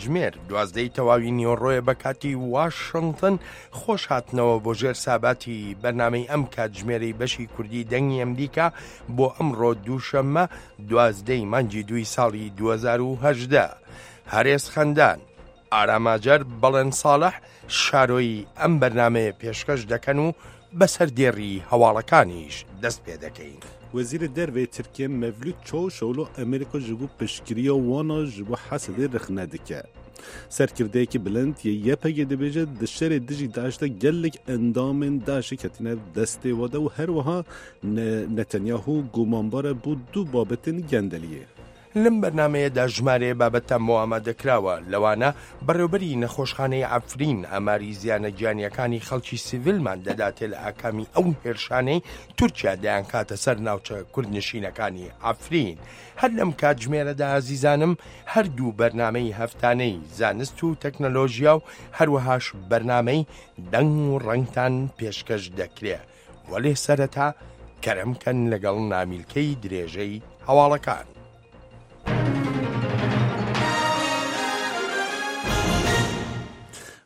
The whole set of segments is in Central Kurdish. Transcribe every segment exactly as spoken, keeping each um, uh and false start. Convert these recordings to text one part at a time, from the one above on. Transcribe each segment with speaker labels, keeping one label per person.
Speaker 1: کاتژمێر دوازدەی تەواوی نیوەڕۆیە بە کاتی واشنتن. خۆش هاتنەوە بۆ ژێر ساباتی بەرنامەی ئەم کاتژمێرەی بەشی کوردی دەنگی ئەمریکا بۆ ئەمڕۆ دووشەممە دوازدەی مانگی دووی ساڵی دوو هەزار و هەژدە. هەرێز خەندان، ئاراماجەر، بەڵێن ساڵح شارۆیی ئەم بەرنمەیە پێشکەش دەکەن و بەسەر دێڕی هەواڵەکانیش دەست پێ دەکەین.
Speaker 2: وەزیرê Derve yê Tirkiyê Mevlut Çavuşoglu Amerîka ji bo piştgiriya wan a ji bo Hesedê rexne dike. Serkirdeyekî bilind yê Y P G dibêje di şerê dijî DAIŞ de gelek endamên DAIŞê ketine destê we de û her wiha Netanyahu gumanbar e bo du babetên gendeliyê.
Speaker 1: لەم بەرنمەیەدا ژمارەیە بابەتان بۆ ئامادەکراوە، لەوانە بەڕێوبەری نەخۆشخانەی عەفرین ئاماری زیانە گیانیەکانی خەڵکی سیڤیلمان دەداتێ لە ئاکامی ئەو هێرشانەی تورکیا دەیانکاتە سەر ناوچە کوردنشینەکانی عەفرین. هەر لەم کاتژمێرەدا ئازیزانم هەردوو بەرنامەی هەفتانەی زانست و تەکنەلۆژیا و هەروەهاش بەرنامەی دەنگ و ڕەنگتان پێشکەش دەکرێ. وەلێ سەرەتا کەرەمکەن لەگەڵ نامیلکەی درێژەی هەواڵەکان.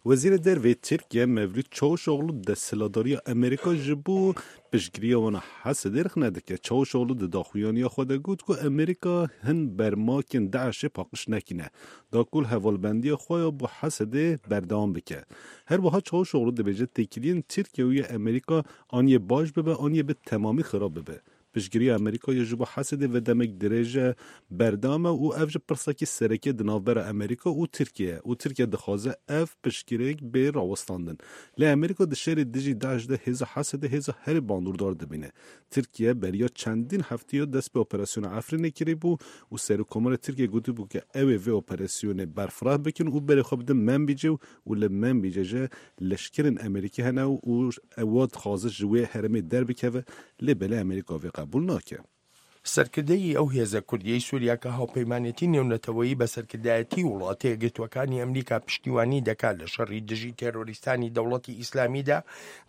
Speaker 2: وەزیرê Derve yê Tirkiye Mevlut Çavuşoglu desthilatdariya Amerîka ji bo piştgiriya wan a Hesedê rexne dike. Çavuşoglu di daxuyaniya xwe de got ku Amerîka hin bermakên DAIŞê paqij nekîne da ku li hevalbendiya xwe ya bo Hesedê berdewam bike. Her wiha Çavuşoglu dibêje têkiliyên Tirkiye û yê Amerîka aniyê baş bibe aniyê bi temamî xirab bibe. Piştgiriya Amerîka ya ji bo Hesedê ve demek dirêj berdewam e û ev ji pirsekî sereke di navbera Amerîka û Tirkiye û Tirkiye dixwaze ev piştgiriyek bê rawestandin. Lê Amerîka di şerê dijî DAIŞ de hêza Hesedê hêza herî bandordar dibîne. Tirkiye beriya çendîn hefteya dest bi operasyona Efrînê kiribû û Serokkomarê Tirkiye gotibû ku ew ê vê operasyonê berfireh bikin û berê xwe bidin Menbicê û li Menbicê jî leşkerên Amerîkî hene û ew dixwaze ji wê herêmê derbikeve, lê belê Amerîka vê قبول ناکە.
Speaker 1: سەرکردەی ئەو هێزە کوردیەی سووریا کە هاوپەیمانێتی نێونەتەوەیی بە سەرکردایەتی وڵاتە یەکگرتووەکانی ئەمریکا پشتیوانی دەکات لە شەڕی دژی تێرۆریستانی دەوڵەتی ئیسلامیدا،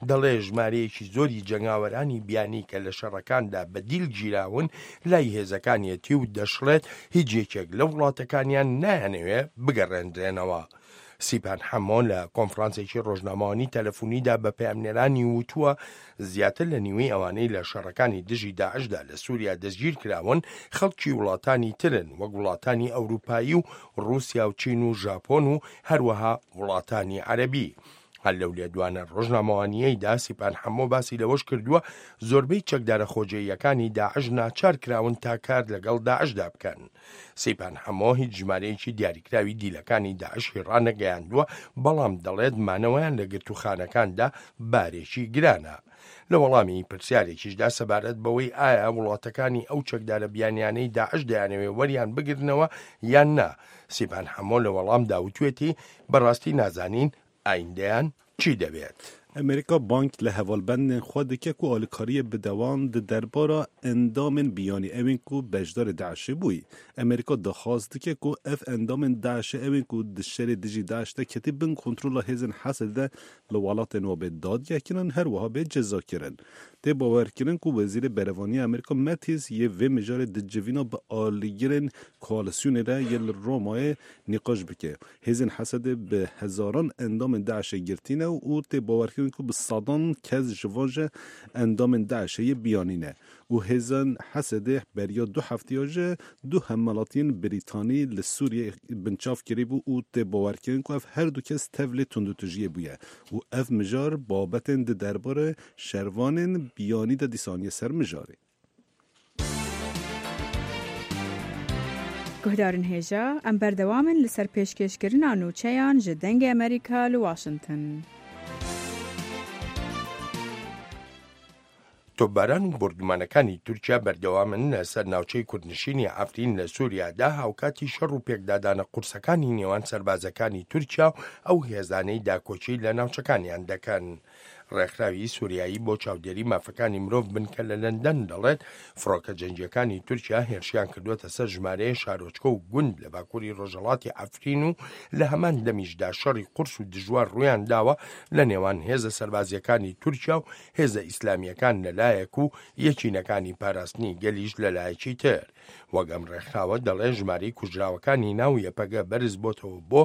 Speaker 1: دەڵێ ژمارەیەکی زۆری جەنگاوەرانی بیانی کە لە شەڕەکاندا بە دیل گیراون لای هێزەکانیەتی و دەشڵێت هیچ یەکێک لە وڵاتەکانیان نایانەوێ بگەڕێندرێنەوە. سیپان حەمۆ لە کۆنفرانسێکی ڕۆژنامەوانی تەلەفۆنیدا بە پەیامنێرانی وتووە زیاتر لە نیوەی ئەوانەی لە شەڕەکانی دژی داعشدا لە سووریا دەستگیر کراون خەڵکی وڵاتانی ترن، وەک وڵاتانی ئەوروپایی و ڕووسیا و چین و ژاپۆن و هەروەها وڵاتانی عەرەبی. هەر لەو لێدوانە ڕۆژنامەوانیەیدا سیپان حەمۆ باسی لەوەش کردووە زۆربەی چەکدارە خۆجێیەکانی داعش ناچار کراون تا کار لەگەڵ داعشدا بکەن. سیپان حەمۆ هیچ ژمارەیەکی دیاریکراوی دیلەکانی داعشی ڕانەگەیاندووە، بەڵام دەڵێت مانەوەیان لە گرتوخانەکاندا بارێکی گرانە. لە وەڵامی پرسیارێکیشدا سەبارەت بەوەی ئایا وڵاتەکانی ئەو چەکدارە بیانیانەی داعش دەیانەوێ وەریان بگرنەوە یان نا، سیپان حەمۆ لە وەڵامدا وتوێتی بەڕاستی نازانین ئایندەیان چی دەبێت.
Speaker 2: ئەمریکا بانک لە hevalbendên xwe dike ku alîkariyê bide wan di derbara endamên biyanî ewên ku beşdarê DAIŞê bûyî. Amerîka daxwaz dike ku ev endamên DAIŞê ewên ku di şerê dijî DAIŞ de ketî bin kontrola hêzên Hesedê de li welatên wan bê dadgehkirin, her wiha bê cezakirin. Tê bawerkirin ku Wezîrê Berevaniya Amerîka Mattis yê vê mijarê di civîna bi alîgirên koalîsyonê re yê li Romayê nîqaş bike. Hêzên Hesedê bi hezaran endamên DAIŞê girtîne û tê bawerkirin ku bi sedan kes ji van ji endamên DAIŞê yê biyanî ne û hêzên Hesedê beriya du hefteya ji du hemwelatiyên Brîtanî li Sûriyê binçav kiribû û tê bawerkirin ku ev her du kes tevlê tundûtûjiyê bûye û ev mijar babetên di derbarê şervanên biyanî de dîsaniye ser mijarê.
Speaker 3: Guhdarên hêja, em berdewam in li ser pêşkêşkirina nûçeyan ji Dengê Amerîka li Washington.
Speaker 1: تۆپباران و بۆردومانەکانی تورکیا بەردەوامن لەسەر ناوچەی کوردنشینی عەفرین لە سووریادا، هاوکاتی شەڕ و پێکدادانە قورسەکانی نێوان سەربازەکانی تورکیا و ئەو هێزانەی داکۆکی لە ناوچەکانیان دەکەن. ڕێکخراوی سووریایی بۆ چاودێری مافەکانی مرۆڤ بنکە لە لەندەن دەڵێت فڕۆکە جەنگیەکانی تورکیا هێرشیان کردووەتە سەر ژمارەیە شارۆچکە و گوند لە باکووری ڕۆژهەڵاتی عەفرین و لە هەمان دەمیشدا شەڕی قورس و دژوار ڕوویان داوە لە نێوان هێزە سەربازیەکانی تورکیا و هێزە ئیسلامیەکان لەلایەک و یەکینەکانی پاراستنی گەلیش لەلایەکی تر. وەک ئەم ڕێکخراوە دەڵێ ژمارەی کوژراوەکانی ناو یەپەگە بەرز بۆتەوە بۆ